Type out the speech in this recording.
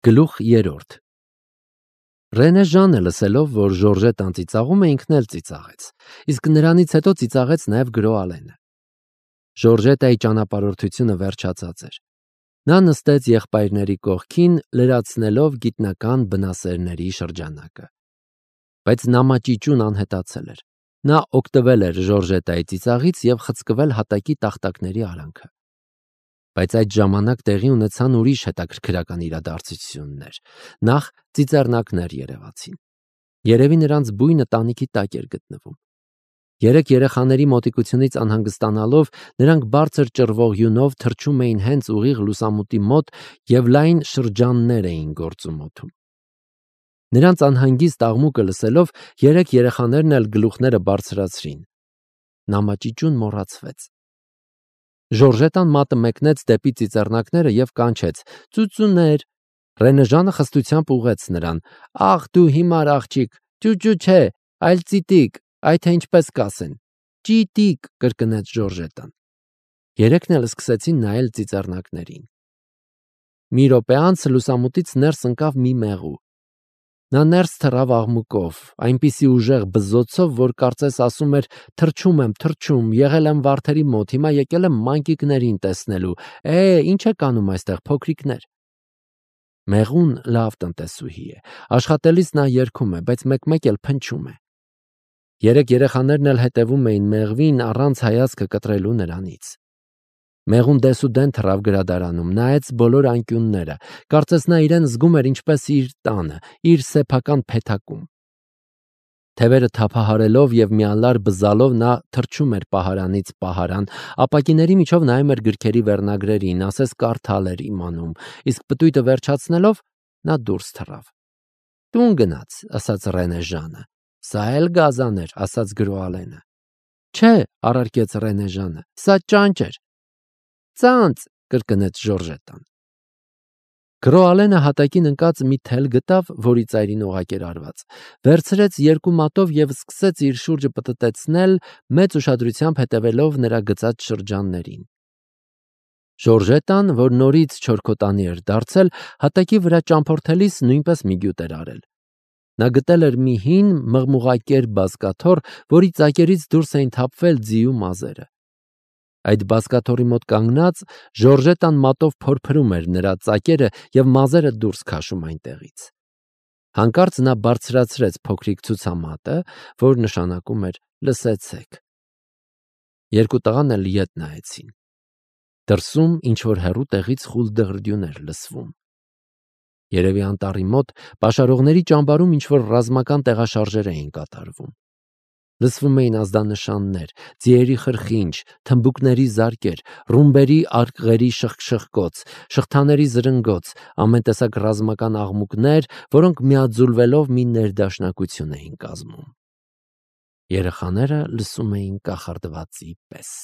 Գլուխ 3 Ռենե Ժանը լսելով, որ Ժորժետան ծիծաղում է, ինքն էլ ծիծաղեց, իսկ նրանից հետո ծիծաղեց նաև Գրո Ալենը։ Ժորժետայի ճանապարհորդությունը վերջացած էր։ Նա նստեց եղբայրների կողքին, լրացնելով գիտնական բնասերների շրջանակը։ Բայց նամաճիճուն անհետացել էր։ Նա օգտվել էր Ժորժետայի ծիծաղից և խցկվել հատակի տախտակների արանքը։ Բայց այդ ժամանակ տեղի ունեցան ուրիշ հետաքրքրական իրադարձություններ։ Նախ ծիծեռնակներ երևացին։ Երևի նրանց բույնը տանիքի տակ էր գտնվում։ Երեք երեխաների մոտիկությունից անհանգստանալով, նրանք բարձր ճռվող յունով թռչում էին հենց ուղիղ լուսամուտի մոտ և լայն շրջաններ էին գործում օդում։ Նրանց անհանգիստ աղմուկը լսելով, երեք երեխաներն էլ գլուխները բարձրացրին։ Նամաճիճուն մոռացվեց։ Ժորժետան մատը մեկնեց դեպի ծիծեռնակները և կանչեց. «Ծուծուներ»։ Ռենե Ժանը խստությամբ ուղղեց նրան. «Ախ, դու հիմար աղջիկ, ճուճու չէ, այլ ծիտիկ, այ թե ինչպես կասեն»։ «Ճիտիկ», կրկնեց Ժորժետան։ Երեքն էլ սկսեցին նայել ծիծեռնակներին։ Մի րոպե անց լուսամուտից ներս ընկավ մի մեղու։ Նա ներս թռավ աղմուկով, այնպիսի ուժեղ բզզոցով, որ կարծես ասում էր. «Թռչում եմ, թռչում, եղել եմ վարդերի մոտ, հիմա եկել եմ մանկիկներին տեսնելու, ինչ եք անում այստեղ, փոքրիկներ»։ Մեղուն լավ տնտեսուհի է, աշխատելիս նա երգում է, բայց մեկ-մեկ էլ փնչում է։ Երեք երեխաներն էլ հետևում էին մեղվին, առանց հայացքը կտրելու նրանից։ Մեղուն դեսուդեն թռավ գրադարանում, նայեց բոլոր անկյունները, կարծես նա իրեն զգում էր ինչպես իր տանը, իր սեփական փեթակում։ Թևերը թափահարելով և միալար բզալով նա թռչում էր պահարանից պահարան, ապակիների միջով նայում էր գրքերի վերնագրերին, ասես կարդալ էր իմանում, իսկ պտույտը վերջացնելով նա դուրս թռավ։ «Տուն գնաց», ասաց Ռենե Ժանը։ «Սա էլ գազան էր», ասաց Գրո Ալենը։ «Չէ», առարկեց Ռենե Ժանը, «սա ճանճ էր»։ «Ծանծ», կրկնեց Ժորժետան։ Գրո Ալենը հատակին ընկած մի թել գտավ, որի ծայրին օղակ էր արված, վերցրեց երկու մատով և սկսեց իր շուրջը պտտեցնել, մեծ ուշադրությամբ հետևելով նրա գծած շրջաններին։ Ժորժետան, որ նորից չորքոտանի էր դարձել, հատակի վրա ճամփորդելիս նույնպես մի գյուտ էր արել։ Նա գտել էր մի հին, մղմուղակեր բազկաթոռ, որի ծակերից դուրս էին թափվել ձիու մազերը։ Այդ բազկաթոռի մոտ կանգնած Ժորժետան մատով փորփրում էր նրա ծակերը և մազերը դուրս քաշում այնտեղից։ Հանկարծ նա բարձրացրեց փոքրիկ ցուցամատը, որ նշանակում էր «լսեցեք»։ Երկու տղան էլ ետ նայեցին։ Դրսում ինչ-որ հեռու տեղից խուլ դղրդյուն էր լսվում։ Երևի անտառի մոտ պաշարողների ճամբարում ինչ-որ ռազմական տեղաշարժեր էին կատարվում։ Լսվում էին ազդանշաններ, ձիերի խրխինջ, թմբուկների զարկեր, ռումբերի արկղերի շխկշխկոց, շղթաների զրնգոց, ամեն տեսակ ռազմական աղմուկներ, որոնք միաձուլվելով մի ներդաշնակություն էին կազմում։ Երեխաները լսում էին կախարդվածի պես։